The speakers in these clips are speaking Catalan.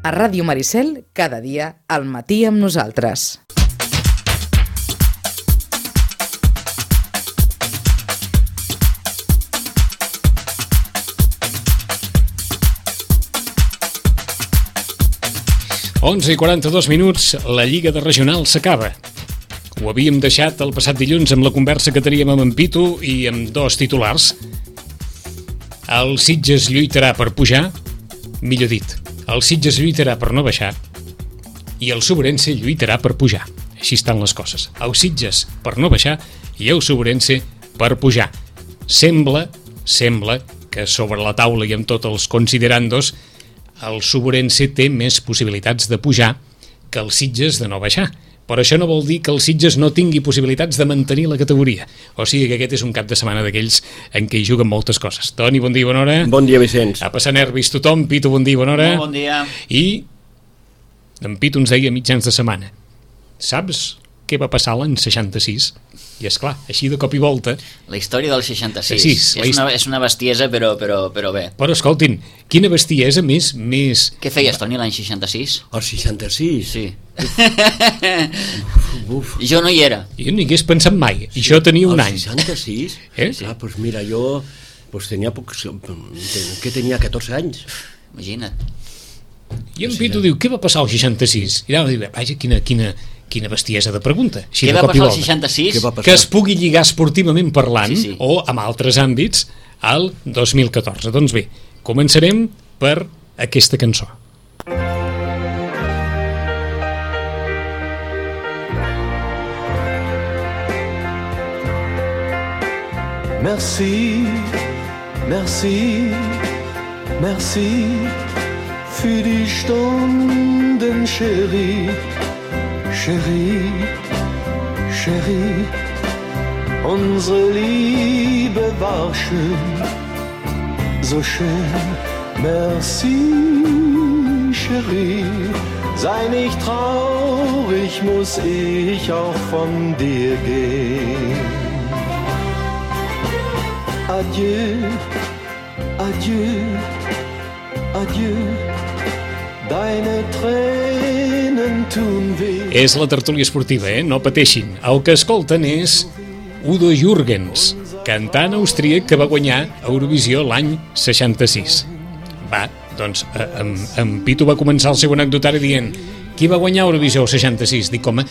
A Ràdio Maricel, cada dia, al matí amb nosaltres. Onze i 42 minuts, la Lliga de Regionals s'acaba. Ho havíem deixat el passat dilluns amb la conversa que teníem amb en Pitu i amb dos titulars. El Sitges lluitarà per pujar, millor dit, el Sitges lluitarà per no baixar i el Sobrense lluitarà per pujar. Així estan les coses. El Sitges per no baixar i el Sobrense per pujar. Sembla que sobre la taula i amb tots els considerandos el Sobrense té més possibilitats de pujar que el Sitges de no baixar. Però això no vol dir que el Sitges no tingui possibilitats de mantenir la categoria. O sigui que aquest és un cap de setmana d'aquells en què hi juguen moltes coses. Toni, bon dia, bona hora. Bon dia, Vicenç. A passar nervis tothom. Pitu, bon dia, bona hora. Bon dia. I en Pitu ens deia mitjans de setmana: saps què va passar l'any 66? I és clar, així de cop i volta. La història del 66. Sí, és una bestiesa, però bé. Però escoltin, quina bestiesa més... Què feies, Toni, l'any 66? El 66? Sí. Uf. Jo no hi era. Jo no hi hagués pensat mai. I això tenia un any. El 66? Sí. Ah, doncs mira, jo tenia que tenia 14 anys. Imagina't. I en Pitu diu, què va passar al 66? I ara diu, vaja, quina bestiesa de pregunta. Què va passar al 66? Que es pugui lligar esportivament parlant, sí. o amb altres àmbits, al 2014. Doncs bé, començarem per aquesta cançó. Merci, merci, merci für die Stunden, Chérie, Chérie, Chérie. Unsere Liebe war schön, so schön. Merci, Chérie. Sei nicht traurig, muss ich auch von dir gehen. Adieu, adieu, adieu, deine Tränen tun weh. És la tertúlia esportiva, no pateixin. El que escolten és Udo Jürgens, cantant austríac que va guanyar Eurovisió l'any 66. Va, doncs, en Pitu va començar el seu anecdotari dient: qui va guanyar Eurovisió el 66? Dic, home,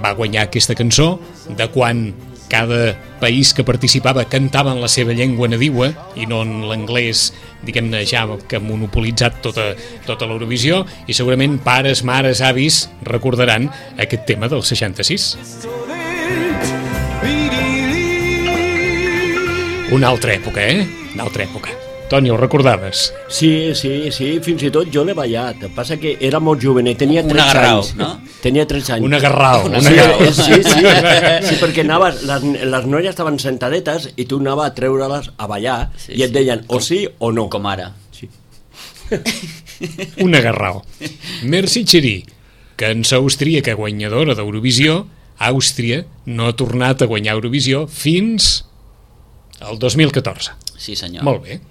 va guanyar aquesta cançó de quan cada país que participava cantava en la seva llengua nadiua i no en l'anglès, diguem-ne, ja que ha monopolitzat tota l'Eurovisió, i segurament pares, mares, avis recordaran aquest tema del 66. Una altra època, Una altra època. Toni, ho recordaves? Sí, fins i tot jo l'he ballat. El que passa que era molt jovenet, tenia 13 anys. No? Tenia 13 anys. Una garrao. Sí, perquè anaves, les noies estaven sentadetes i tu anaves a treure-les a ballar i et deien o sí o no. Com ara. Sí. Una garrao. Merci Chérie, cançó austríaca guanyadora d'Eurovisió. Àustria no ha tornat a guanyar Eurovisió fins al 2014. Sí, senyor. Molt bé.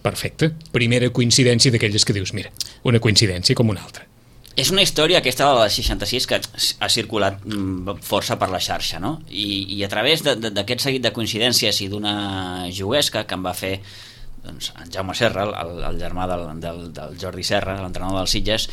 Perfecte. Primera coincidència d'aquelles que dius, mira, una coincidència com una altra. És una història aquesta de la 66 que ha circulat força per la xarxa, no? I a través d'aquest seguit de coincidències i d'una juguesca que em va fer doncs, en Jaume Serra, el germà del Jordi Serra, l'entrenador del Sitges,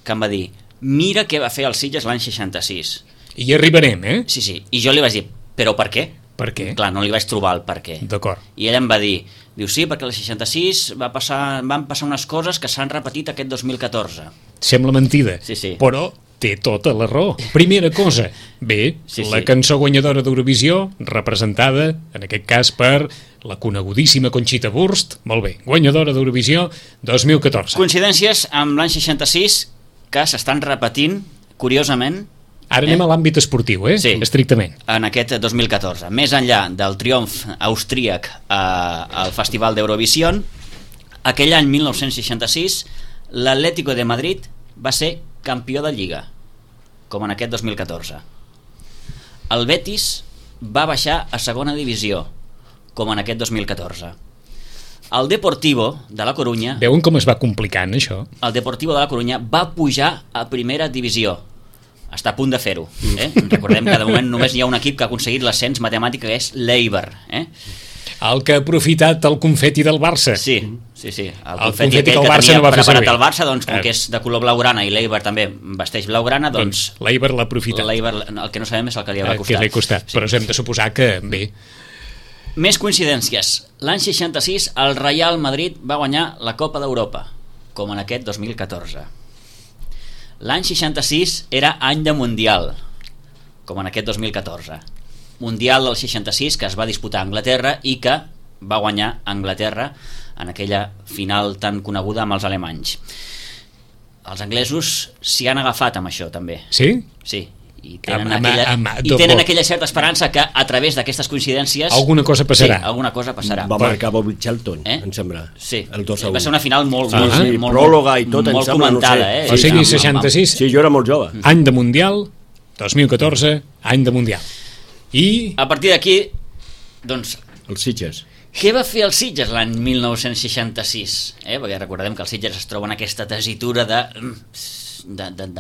que em va dir: mira què va fer el Sitges l'any 66. I hi arribarem, Sí. I jo li vaig dir: però per què? Per què? Clar, no li vaig trobar el per què. D'acord. I ell em va dir, diu, sí, perquè el 66 van passar unes coses que s'han repetit aquest 2014. Sembla mentida, Sí. però té tota la raó. Primera cosa, bé, la cançó guanyadora d'Eurovisió, representada, en aquest cas, per la conegudíssima Conxita Wurst, molt bé, guanyadora d'Eurovisió 2014. Coincidències amb l'any 66 que s'estan repetint, curiosament. Ara anem a l'àmbit esportiu, Sí. Estrictament. En aquest 2014. Més enllà del triomf austríac al Festival d'Eurovisió, aquell any 1966, l'Atlético de Madrid va ser campió de Lliga, com en aquest 2014. El Betis va baixar a segona divisió, com en aquest 2014. el Deportivo de la Corunya, Veuen com es va complicant, això? el Deportivo de la Corunya va pujar a primera divisió. Està a punt de fer-ho. Recordem que de moment només hi ha un equip que ha aconseguit l'ascens matemàtic, que és l'Eibar. El que ha aprofitat el confeti del Barça. Sí. El confeti confeti que aquell el que Barça tenia no va fer preparat servir. el Barça, doncs, com que és de color blaugrana i l'Eibar també vesteix blaugrana, doncs l'Eibar l'ha aprofitat. l'Eibar, el que no sabem és el que li haurà costat. Que li ha costat, però hem de suposar que bé. Més coincidències. L'any 66 el Real Madrid va guanyar la Copa d'Europa, com en aquest 2014. L'any 66 era any de Mundial, com en aquest 2014. Mundial del 66 que es va disputar a Anglaterra i que va guanyar Anglaterra en aquella final tan coneguda amb els alemanys. Els anglesos s'hi han agafat amb això també. Sí? Sí. I tenen aquella certa esperança que a través d'aquestes coincidències alguna cosa passarà. Sí, alguna cosa passarà. Va marcar Bobby Charlton, em sembla. Sí, el 2-1. va ser una final molt pròloga i tot, molt comentada. O sigui, 66. Sí, jo era molt jove. Any de Mundial, 2014, any de Mundial. I a partir d'aquí, doncs, els Sitges. Què va fer el Sitges l'any 1966? Perquè recordem que el Sitges es troba en aquesta tessitura de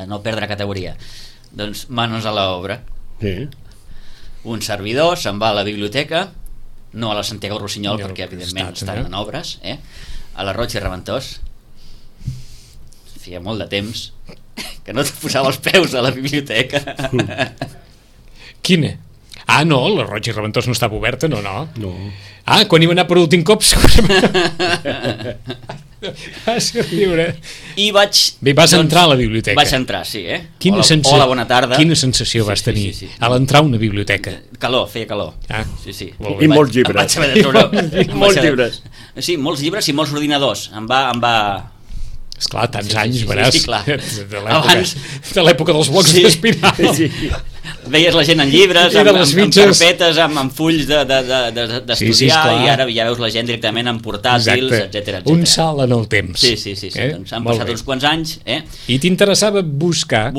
no perdre categoria. Doncs manos a l'obra. Sí. Un servidor se'n va a la biblioteca, no a la Santiago Rossinyol, perquè evidentment estan en obres, a la Roig i Reventós. Feia molt de temps que no et posava els peus a la biblioteca. Quina? Ah, no, la Roig i Reventós no estava oberta, no. No. Ah, quan hi va anar per últim cop, va ser lliure. I vaig... Bé, vas entrar a la biblioteca. Vaig entrar, sí, Hola, bona tarda. Quina sensació vas tenir a l'entrar a una biblioteca? Calor, feia calor. Ah, sí. I molts llibres. Molts llibres. Sí, molts llibres i molts ordinadors. Em va... Esclar, tants anys, veràs, sí, clar. de l'època dels blocs d'espiral. Sí. Veies la gent en llibres, amb carpetes, amb fulls d'estudiar, i ara ja veus la gent directament amb portàtils, etc. Un salt en el temps. Sí. Doncs han passat uns quants anys. I t'interessava buscar,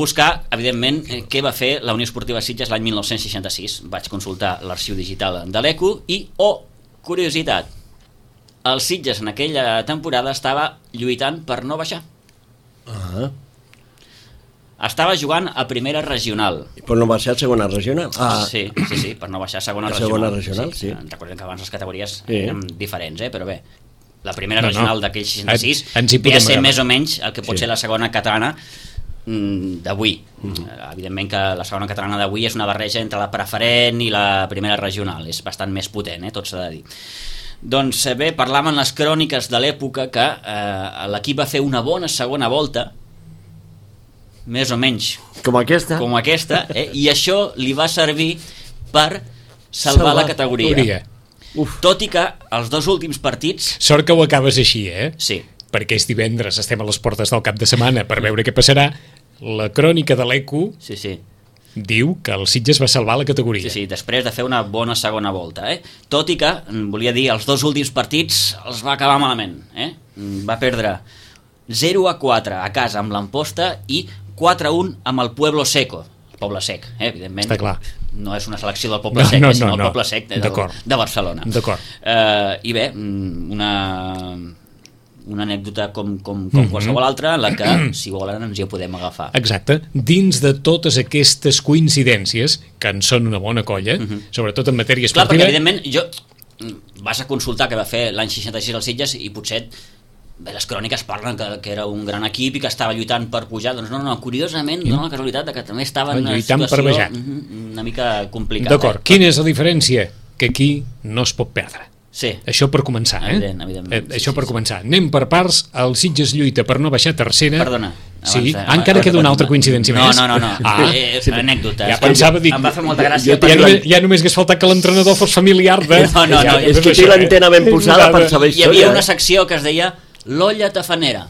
evidentment, què va fer la Unió Esportiva Sitges l'any 1966. Vaig consultar l'arxiu digital de l'ECO i, curiositat, el Sitges en aquella temporada estava lluitant per no baixar. Estava jugant a primera regional. Però no va ser a segona regional? Sí, per no baixar a segona regional. Segona regional, sí. Recordem que abans les categories eren diferents, però bé, la primera regional d'aquell 66 ve a ser més o menys el que pot ser la segona catalana d'avui. Evidentment que la segona catalana d'avui és una barreja entre la preferent i la primera regional, és bastant més potent, tot s'ha de dir. Doncs bé, parlàvem en les cròniques de l'època que l'equip va fer una bona segona volta, més o menys com aquesta, i això li va servir per salvar la categoria. Tot i que els dos últims partits... Sort que ho acabes així, Sí. Perquè és divendres, estem a les portes del cap de setmana per veure què passarà. La crònica de l'ECO diu que el Sitges va salvar la categoria. Sí, després de fer una bona segona volta. Tot i que, volia dir, els dos últims partits els va acabar malament. Va perdre 0-4 a casa amb l'Amposta i 4-1 amb el Pueblo Seco. El Poble Sec, evidentment. Està clar. No és una selecció del Poble Sec, sinó el Poble Sec de Barcelona. D'acord. I bé, una anècdota com qualsevol altra en la que, si volen, ens hi podem agafar. Exacte. Dins de totes aquestes coincidències, que en són una bona colla, sobretot en matèria esportiva... Clar, perquè evidentment vas a consultar què va fer l'any 66 al Sitges i potser les cròniques parlen que era un gran equip i que estava lluitant per pujar. Doncs no, curiosament dona la casualitat que també estava en una situació una mica complicada. D'acord. Quina és la diferència? Que aquí no es pot perdre. Sí. Això per començar, Evidentment. Això per començar. Anem per parts. El Sitges lluita per no baixar tercera. Perdona. Sí, encara queda una altra coincidència més. No. Anècdota. Ja pensava dir... Em va fer molta gràcia. Ja només hagués faltat que l'entrenador fos familiar de... No. És que té l'antena ben posada per saber història. Hi havia una secció que es deia l'olla tafanera.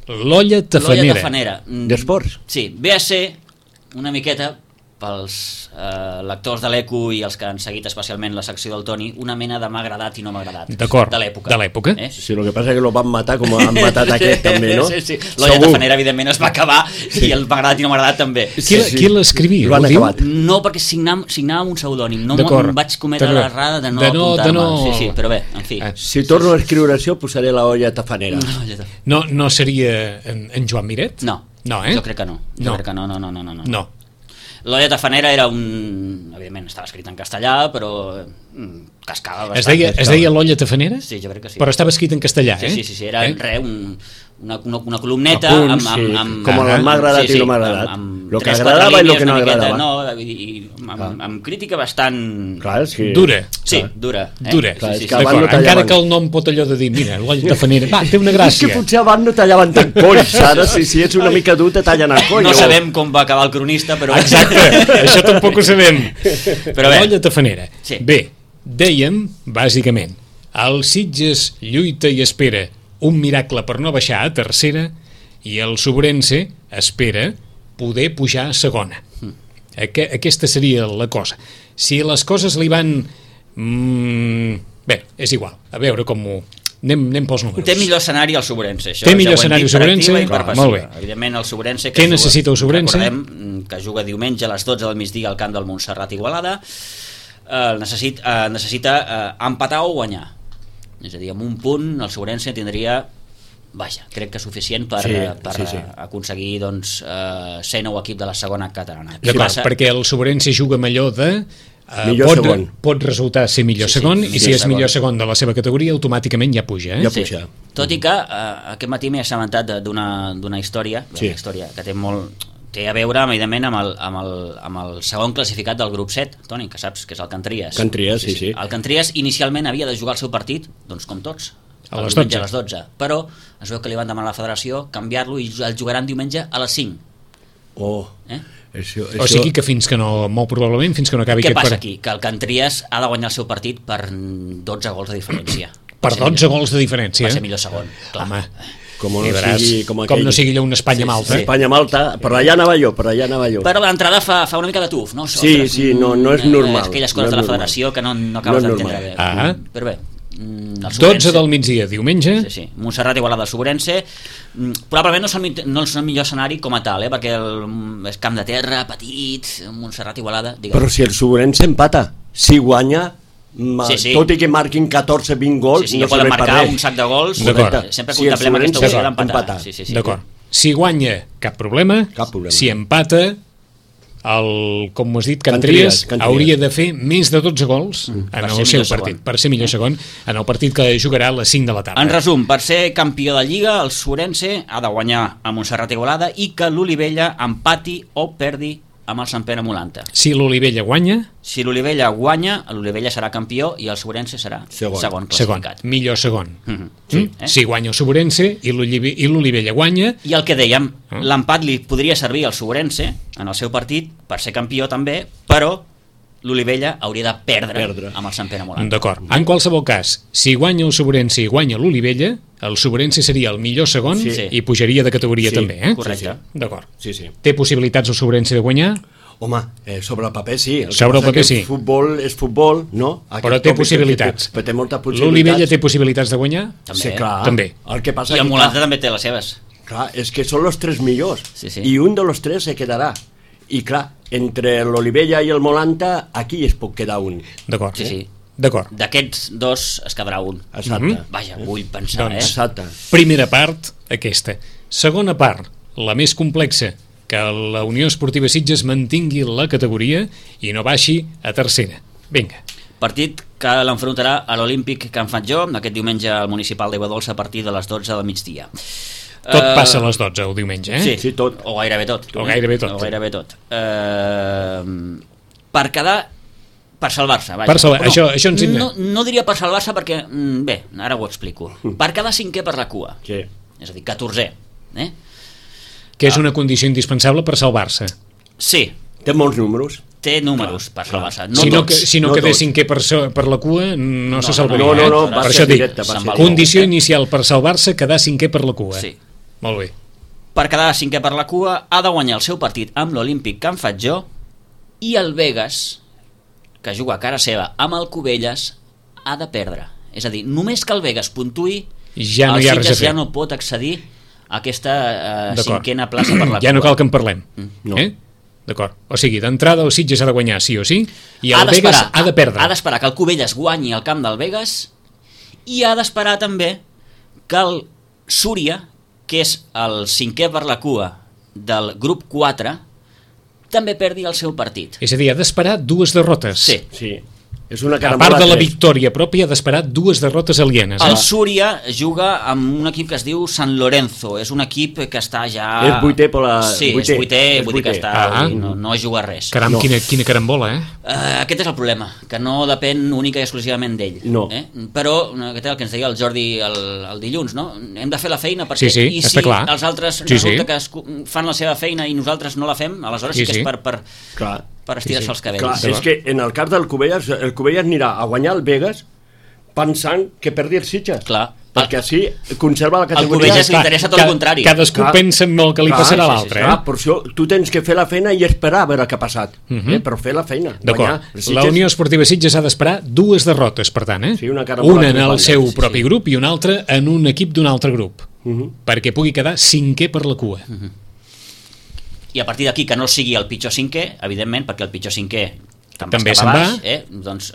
L'olla tafanera. D'esports? Sí, ve a ser una miqueta pels lectors de l'ECO i els que han seguit especialment la secció del Toni, una mena de m'ha agradat i no m'ha agradat. D'acord, de l'època. De l'època. Sí, el que passa és que lo van matar com han matat aquest també, no? Sí. L'Olla Tafanera, evidentment, es va acabar i el m'ha agradat i no m'ha agradat també. Qui l'escrivia? Lo han acabat. No, perquè signava un pseudònim. No vaig cometre l'errada de no apuntar-me. Sí, però bé, en fi. Si torno a escriure això, posaré la Olla Tafanera. No seria en Joan Miret? No, jo crec que no. No. L'Olla Tafanera era evidentment estava escrit en castellà, però cascava bastant. Es deia l'Olla Tafanera? Sí, jo crec que sí. Però estava escrit en castellà, Sí, era una columneta amb com m'ha agradat i no m'ha agradat. El que agradava i el que no agradava. Amb crítica bastant... Dura. Sí, dura. Encara que el nom pot allò de dir, mira, l'Olla Tafanera, va, té una gràcia. És que potser abans no tallaven tant colls, ara si ets una mica dur te tallen el coll. No sabem com va acabar el cronista, però... Exacte, això tampoc ho sabem. Però bé. L'Olla Tafanera. Bé, dèiem, bàsicament, el Sitges lluita i espera un miracle per no baixar a tercera i el Sobrense espera poder pujar a segona. Aquesta seria la cosa. Si les coses li van... Bé, és igual, a veure com ho... Anem pels números. Té millor escenari el Sobrense. Té millor escenari el Sobrense? Molt bé. Evidentment el Sobrense... Què necessita el Sobrense? Recordem que juga diumenge a les 12 del migdia al camp del Montserrat Igualada. Necessita empatar o guanyar. És a dir, amb un punt el Sobrense tindria, crec que suficient per aconseguir ser nou equip de la segona catalana. D'acord, perquè el Sobrense juga amb allò de pot resultar ser millor segon, i si és millor segon de la seva categoria automàticament ja puja. Tot i que aquest matí m'he assabentat d'una història que té a veure evidentment amb el segon classificat del grup 7, Toni, que saps que és el Cantries. Sí. El Cantries inicialment havia de jugar el seu partit, doncs com tots, a les 12, però es veu que li van demanar a la federació canviar-lo i el jugaran diumenge a les 5. O sigui que fins que no, molt probablement fins que no acabi aquest partit. Què passa aquí? Que el Cantries ha de guanyar el seu partit per 12 gols de diferència. Per 12 gols de diferència? Va ser millor segon, clar. Home, com no sigui allò una Espanya-Malta. Espanya-Malta, per allà anava jo. Però l'entrada fa una mica de tuf, no? No és normal. Aquelles coses de la federació que no acabes d'entendre bé. Però bé, 12 del migdia, diumenge. Montserrat Igualada, Sobrense. Probablement no és el millor escenari com a tal, perquè és camp de terra, petit, Montserrat Igualada. Però si el Sobrense empata, si guanya, tot i que marquin 14-20 gols, no poden marcar un sac de gols. Sempre contemplem aquesta opció d'empatar. D'acord. Si guanya, cap problema. Si empata, com has dit, Cantries hauria de fer més de 12 gols en el seu partit, per ser millor segon en el partit que jugarà a les 5 de la tarda. En resum, per ser campió de Lliga, el Sobrense ha de guanyar a Montserrat Igualada i que l'Olivella empati o perdi amb el Sant Pere Molanta. Si l'Olivella guanya, l'Olivella serà campió i el Sobrense serà segon classificat. Millor segon. Si guanya el Sobrense i l'Olivella guanya... I el que dèiem, l'empat li podria servir al Sobrense en el seu partit per ser campió també, però l'Olivella hauria de perdre amb el Sant Pere Molanta. D'acord. En qualsevol cas, si guanya el Sobrense i guanya l'Olivella, el Sobrense seria el millor segon i pujaria de categoria també. Correcte. D'acord. Té possibilitats el Sobrense de guanyar? Home, sobre el paper sí. Sobre el paper sí. Futbol és futbol, no? Però té possibilitats. Té moltes possibilitats. L'Olivella té possibilitats de guanyar? Sí, clar. També. I el Molanta també té les seves. Clar, és que són els 3 millors. I un de los 3 se quedarà. I clar, entre l'Olivella i el Molanta, aquí es pot quedar un. D'acord. D'acord. D'aquests dos es quedarà un. Exacte. Vaja, vull pensar, Exacte. Primera part, aquesta. Segona part, la més complexa, que la Unió Esportiva Sitges mantingui la categoria i no baixi a tercera. Vinga. Partit que l'enfrontarà a l'Olímpic Can Fatjó aquest diumenge al Municipal d'Aigua Dolça a partir de les 12 del migdia. Tot passa a les 12 el diumenge, Sí, tot. O gairebé tot. Per quedar... Per salvar-se, vaja. Això ens... No diria per salvar-se perquè... Bé, ara ho explico. Per quedar 5è per la cua. És a dir, 14è. Que és una condició indispensable per salvar-se. Sí. Té molts números. Té números per salvar-se. Si no quedés 5è per la cua, no se salvaria. No, per això dic, condició inicial per salvar-se, quedar 5è per la cua. Sí. Molt bé. Per quedar 5è per la cua, ha de guanyar el seu partit amb l'Olímpic Can Fatjó i el Vegas, que juga a cara seva amb el Cubelles, ha de perdre. És a dir, només que el Vegas puntuï, Ja no el hi ha res a Sitges fer. ja no pot accedir a aquesta D'acord. cinquena plaça per la Ja no cua. cal que en parlem. No. D'acord. O sigui, d'entrada el Sitges ha de guanyar sí o sí i Ha el Vegas d'esperar- ha de perdre. Ha d'esperar que el Cubelles guanyi el camp del Vegas i ha d'esperar també que el Súria, que és el cinquè per la cua del grup 4, també perdi el seu partit. És a dir, ha d'esperar dues derrotes. Sí. Sí. És una A carambola part de la 3. victòria pròpia, ha d'esperar dues derrotes alienes. El Súria juga amb un equip que es diu San Lorenzo. És un equip que està ja... És vuitè per la... Sí, és vuitè, vull dir que està... Ah. No juga res. Caram, No. quina carambola, eh? Aquest és el problema, que no depèn única i exclusivament d'ell. No. Però, aquest és el que ens deia el Jordi el dilluns, no? Hem de fer la feina perquè... Sí, I està si clar. els altres Sí, resulta sí. que fan la seva feina i nosaltres no la fem, aleshores sí, Sí, que és sí. Clar. per estirar-se els cabells. Clar, és que en el cas del Cubelles anirà a guanyar el Vegas pensant que perdi el Sitges. Clar. Perquè així conserva la El categoria. Cubelles li interessa tot el contrari. Cadascú Clar. pensa en el que li Clar, passarà a sí, l'altre. Clar, per això tu tens que fer la feina i esperar a veure què ha passat. Però fer la feina. D'acord. Guanyar. El Sitges- La Unió Esportiva Sitges ha d'esperar dues derrotes, per tant, eh? Sí, una carambola Una en el tripalla, seu sí, propi grup i una altra en un equip d'un altre grup. Perquè pugui quedar cinquè per la cua. I a partir d'aquí que no sigui el pitjor cinquè, evidentment, perquè el pitjor cinquè També se'n baix, va. doncs,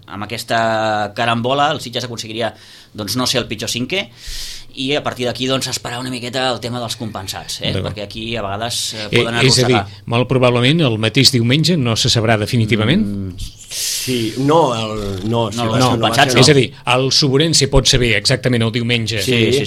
amb aquesta carambola el Sitges aconseguiria doncs, no ser el pitjor cinquè i a partir d'aquí doncs, esperar una miqueta el tema dels compensats, D'acord. perquè aquí a vegades poden És a dir, arrossegar. molt probablement el mateix diumenge no se sabrà definitivament. Sí, no, sí, No, va no, ser- va compensats ser- És a dir, el Soborense pot saber exactament el diumenge Sí.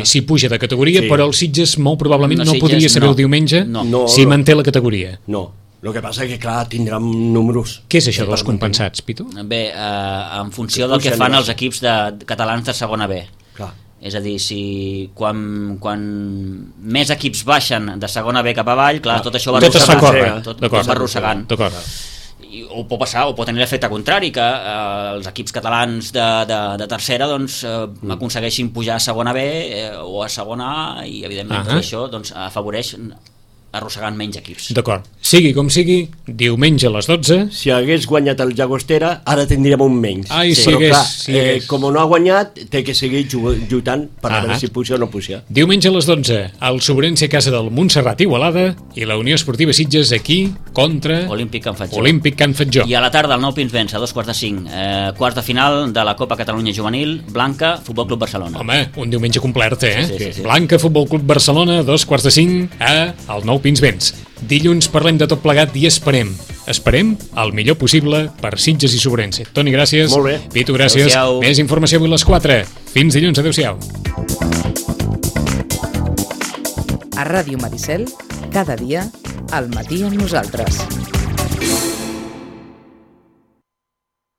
si puja de categoria, Sí. però el Sitges molt probablement El no Sitges podria saber no. el diumenge No. si manté la categoria. No, el que passa és que, clar, tindran números. Què és això dels per compensats, Pitu? Bé, en funció Que del que pugen fan els- els equips catalans de segona B. Clar. És a dir, si quan més equips baixen de segona B cap avall, clar, tot això va Tot es fa arrossegant. córrer. Tot D'acord. va arrossegant. D'acord. O pot passar, o pot tenir l'efecte contrari, que els equips catalans de tercera doncs, aconsegueixin pujar a segona B o a segona A, i evidentment tot això doncs, afavoreix arrossegant menys equips. D'acord. Sigui com sigui, diumenge a les 12... Si hagués guanyat el Llagostera, ara tindríem un menys. Ai, si Però hagués, clar, si hagués. com no ha guanyat, té que seguir lluitant per a veure si puja o no puja. Diumenge a les 12, el Soborense a casa del Montserrat Igualada i la Unió Esportiva Sitges aquí contra Olímpic Can Fatjó. Olímpic Can Fatjó. I a la tarda, el Nou Pins Vents, a 2:45, quarts de final de la Copa Catalunya Juvenil, Blanca, Futbol Club Barcelona. Home, un diumenge complet, eh? Sí. Blanca, Futbol Club Barcelona, 2:45 al Nou Pins Vents. Dilluns parlem de tot plegat i esperem el millor possible per Sitges i Soborense. Toni, gràcies. Molt bé. Pitu, gràcies. Adéu-siau. Més informació avui a les 4. Fins dilluns, adéu-siau. A Ràdio Maricel, cada dia, al matí amb nosaltres.